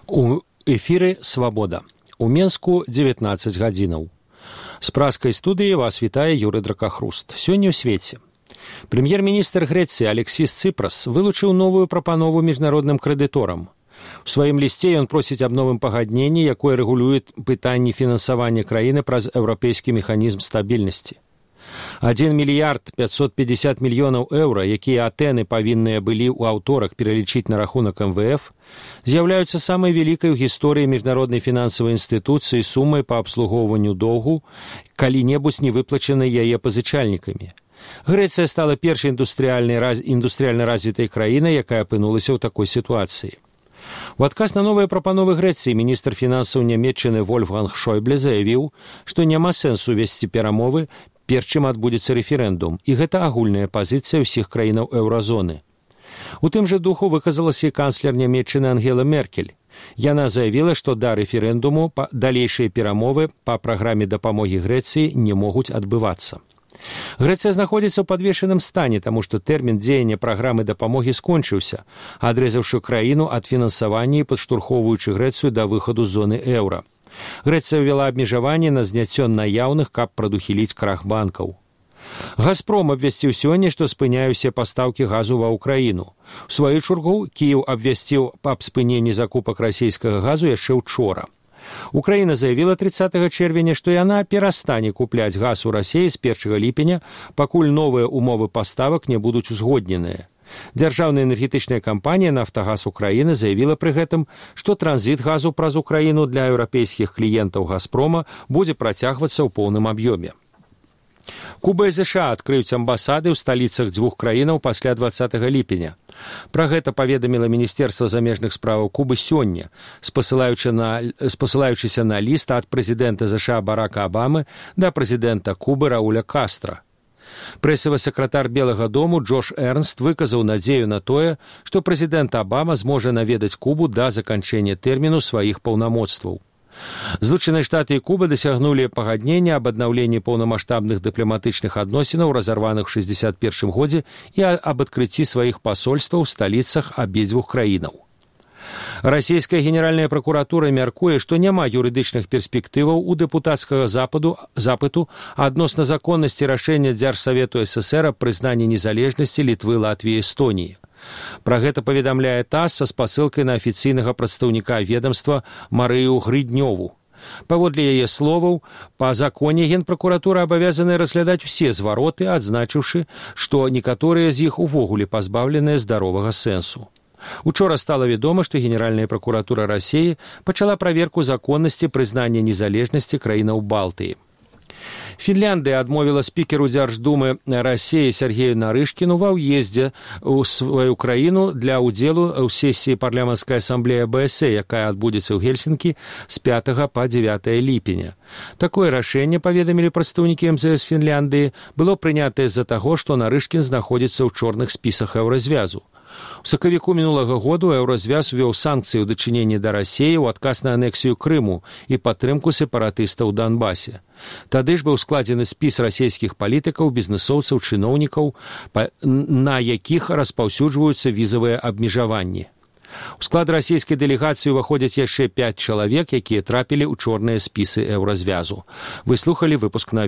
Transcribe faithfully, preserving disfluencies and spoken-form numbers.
У эфіры «Свабода». У Менску дзевятнаццаць гадзінаў. З праскай студыі вас вітае Юрый Дракахруст. Сёння ў свеце. Прэм'ер-міністр Грэцыі Алексіс Цыпрас вылучыў новую прапанову міжнародным крэдыторам. У сваім лісце ён просіць аб новым пагадненні, якое рэгулюе пытанні фінансавання краіны праз еўрапейскі механізм стабільнасці. адзін мільярд пятьсот пятьдесят мільёнаў еўра, якія Атэны павінныя былі ў аўторак пералічыць на рахунак эм вэ эф, з'яўляюцца самай вялікай у гісторыі міжнароднай фінансавай інстытуцыі сумай па абслугоўванню доўгу, калі-небудзь не выплачанай яе пазычальнікамі. Грэцыя стала першай індустрыяльна развітай краінай, якая апынулася ў такой сітуацыі. У адказ на новыя прапановы Грэцыі міністр фінансаў Нямецчыны Вольфганг Шойбле заявіў, што няма сэнсу весці перамовы, перш чым адбудзецца рэферэндум, і гэта агульная пазіцыя ўсіх краінаў еўразоны. У тым жа духу выказалася і канцлер Нямецчыны Ангела Меркель. Яна заявіла, што да рэферэндуму далейшыя перамовы па праграме дапамогі Грэцыі не могуць адбывацца. Грэцыя знаходзіцца ў падвешаным стане, таму што тэрмін дзеяння праграмы дапамогі скончыўся, адрэзаўшы краіну ад фінансавання і падштурхоўваючы Грэцыю да выхаду з зоны еўра. Грэцыя ўвяла абмежаванні на зняццё наяўных, каб прадухіліць крах банкаў. «Газпром» абвясціў сёння, што спыняе ўсе пастаўкі газу ва ўкраіну. У сваю чаргу Кіеў абвясціў аб спыненні закупак расійскага газу яшчэ учора. Украіна заявіла трыццатага чэрвеня, што яна перастане купляць газ у Расіі з першага ліпеня, пакуль новыя умовы паставак не будуць узгодненыя. Дзяржаўная энергетычная кампанія «Нафтагаз Украіны» заявіла пры гэтым, што транзіт газу праз Украіну для еўрапейскіх кліентаў «Газпрома» будзе працягвацца ў поўным аб'ёме. Куба і ЗША адкрыюць амбасады ў сталіцах дзвюх краінаў пасля дваццатага ліпеня. Пра гэта паведаміла Міністэрства замежных справаў Кубы сёння, спасылаючыся на ліст ад прэзідэнта ЗША Барака Абамы да прэзідэнта Кубы Рауля Кастра. Прэсавы сакратар Белага дому Джош Эрнст выказаў надзею на тое, што прэзідэнт Абама зможа наведаць Кубу да заканчэння тэрміну сваіх паўнамоцтваў. Злучаныя Штаты і Куба дасягнулі пагаднення аб аднаўленні паўнамаштабных дыпламатычных адносінаў, разарваных у шэсцьдзесят першым годзе, і аб адкрыцці сваіх пасольстваў у сталіцах абедзвюх краінаў. Расійская генеральная пракуратура мяркуе, што няма юрыдычных перспектываў у дэпутацкага западу, запыту адносна законнасці рашэння Дзяржсавету ССР аб прызнанні незалежнасці Літвы, Латвіі і Эстоніі. Пра гэта паведамляе ТАСС са спасылкай на афіцыйнага прадстаўніка ведамства Марыю Грыднёву. Паводле яе словаў, па законе генпракуратура абавязаная разглядаць усе звароты, адзначыўшы, што некаторыя з іх увогуле пазбаўленыя здаровага сэнсу. Учора стала вядома, што Генеральная пракуратура Расіі пачала праверку законнасці прызнання незалежнасці краінаў Балтыі. Фінляндыя адмовіла спікеру Дзярждумы Расіі Сергею Нарышкіну ва ўездзе ў сваю краіну для ўдзелу ў сесіі парламенцкай асамблеі АБС, якая адбудзецца ў Гельсінкі з пятага па дзевятае ліпеня. Такое рашэнне, паведамілі прадстаўнікі эм зэ эс Фінляндыі, было прынятае з-за таго, што Нарышкін знаходзіцца ў чорных спісах еўразвязу. У сакавіку мінулага году еўразвяз увёў санкцыі ў дачыненні да Расіі ў адказ на анексію Крыму і падтрымку сепаратыстаў у Донбасе. Тады ж быў складзены спіс расійскіх палітыкаў, бізнэсоўцаў, чыноўнікаў, на якіх распаўсюджваюцца візавыя абмежаванні. У склад расійскай дэлегацыі ўваходзяць яшчэ пяць чалавек, якія трапілі ў чорныя спісы еўразвязу. Вы слухалі выпуск на